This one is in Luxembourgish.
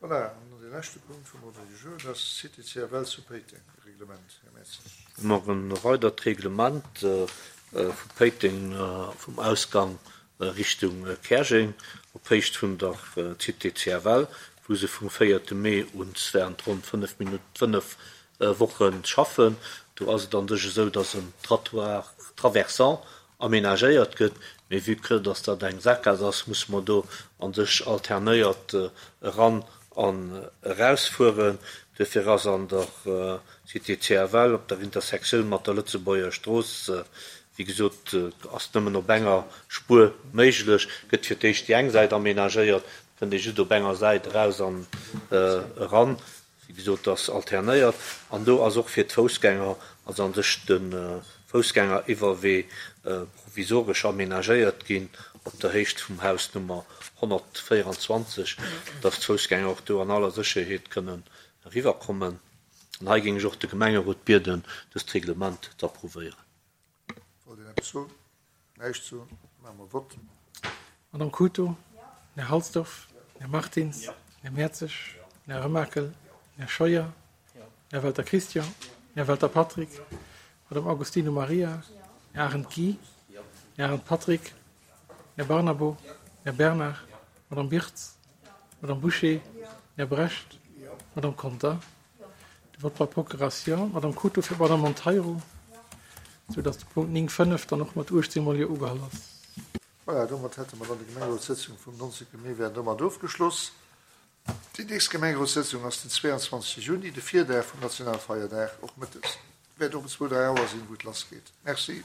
Voilà, an dann dee leschte Punkt vum Ordre du jour, dat ass d'Cité CFL zu Péiteng, e Reglement. Här Mertzig. Mer e weidert Reglement vu Péiteng vum Ausgang Richtung Käerjeng op Héicht vun der Cité CFL, wou se vum véierte Mee un während ronn 5 Minutt, 5 Woche schaffen. Do ass et an sech esou, dass en Trottoir traversant amenagéiert gëtt, mee vue que dass dat eng Sakgaass ass, musse mer do an sech alternéiert eran an erausfueren. Duerfir ass an der Cité CFL op der Intersektioun mat der Lëtzebuerger Strooss, wéi gesot, ass nëmmen op enger Spuer méiglech, gëtt fir d'éischt déi eng Säit amenagéiert, kënnt ee just op enger Säit eraus an eran. Wéi gesot, ass alternéiert an do ass och fir d'Foussgänger, also an sech de Foussgängeriwwerwee provisoresch amenagéiert ginn op der Héicht vum Haus Nummer 124, dass d'Foussgänger och do an aller Sécherheet kënnen eriwwerkommen. An hei géing ech och de Gemengerot bieden, dëst Reglement z'approuvéieren. Wollt een eppes soen? Näischt soen? Maache mer Vott. Madame Cooto, Här Halsdorf, Här Martins, Här Mertzig, Här Remakel, Här Scheuer, Här Welter Christian, Här Welter Patrick, Madame Agostino Maria, Här Arendt Guy, Här Arendt Patrick, Här Barnabo, Här Bernard, Madame Birtz, Madame Bouché, Här Brecht, Madame Conter. De Vote par procuration, d'Madame Cooto fir d'Madame Monteiro, sou datt de Punkt 9, 5 dann och mat 18 mol Jo ugeholl ass. Voilà, domat hätte mer dann déi Gemengerotssëtzung vum 19. Mee wär domat ofgeschloss. Déi nächst Gemengerotssëtzung ass den 22. Juni, de Virdag vum Nationalfeierdag, och mëttes. Wäert och um zwou, dräi Auer sinn, wou et lassgeet. Merci.